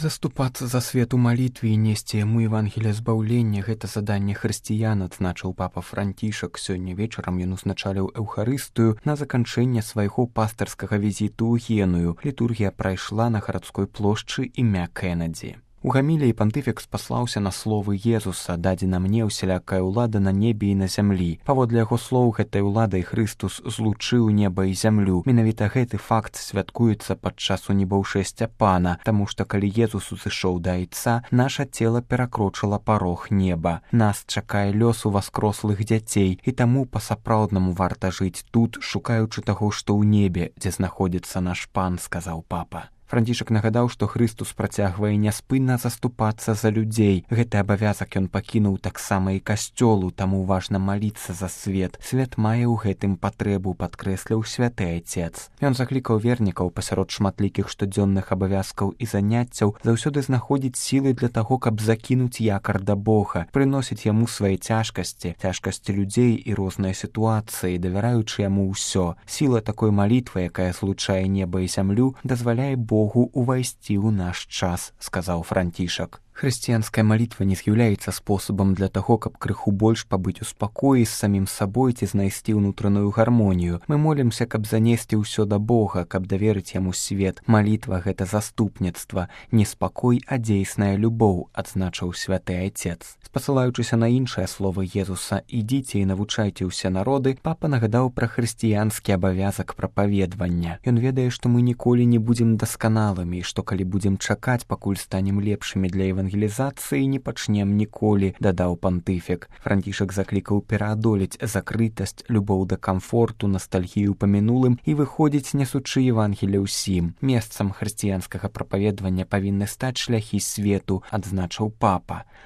Заступацца за свет у малітве і несці яму Евангелія збаўлення – гэта заданне хрысціян, адзначыў папа Францішак. Сёння вечарам ён узначаліў эўхарыстыю на заканчэнне свайго пастырскага візіту ў Геную. Літургія прайшла на гарадской плошчы імя Кеннеді. У гаміліі пантыфік спаслаўся на словы Езуса: «Дадзена мне ўсялякая ўлада на небе і на зямлі». Паводле яго слоў, гэтай уладай Хрыстус злучыў неба і зямлю. Менавіта гэты факт святкуецца падчас унебаўшэсця Пана, таму што калі Езус узышоў да Айца, наша цела перакрочыла парог неба. Нас чакае лёс уваскрослых дзяцей, і таму па-сапраўднаму варта жыць тут, шукаючы таго, што ў небе, дзе знаходзіцца наш Пан, сказаў папа. Францішак нагадаў, што Хрыстус працягвае няспынна заступацца за людзей. Гэты абавязак ён пакінуў таксама і касцёлу, таму важна маліцца за свет. Свет мае ў гэтым патрэбу, падкрэсліў святы Айцец. Ён заклікаў вернікаў пасярод шматлікіх штодзённых абавязкаў і заняццяў заўсёды знаходзіць сілы для таго, каб закінуць якар да Бога, прыносіць яму свае цяжкасці людзей і розныя сітуацыі, давяраючы яму ўсё. Сіла такой малітвы, якая злучае неба і зямлю, дазваляе Богу увайсці ў наш час, сказаў Францішак. Хрысціянская малітва не з'яўляецца спосабам для таго, каб крыху больш пабыць у спакоі з самім сабой ці знайсці ўнутраную гармонію. Мы молімся, каб занесці ўсё да Бога, каб даверыць яму свет. Малітва – гэта заступніцтва, не спакой, а дзейсная любоў, адзначыў святы Айцец. Спасылаючыся на іншыя словы Езуса «Ідзіце і навучайце ўсе народы», папа нагадаў пра хрысціянскі абавязак прапаведвання. Ён ведае, што мы ніколі не будзем дасканалымі, і што калі будзем чакаць, пакуль станем лепшымі для евангелізацыі, не пачнем ніколі, дадаў пантыфік. Францішак заклікаў пераадолець закрытасць, любоў да камфорту, настальгію па мінулым і выходзіць, нясучы Евангелія ўсім. Месцам хрысціянскага прапаведвання павінны стаць шляхі свету, адзначыў папа.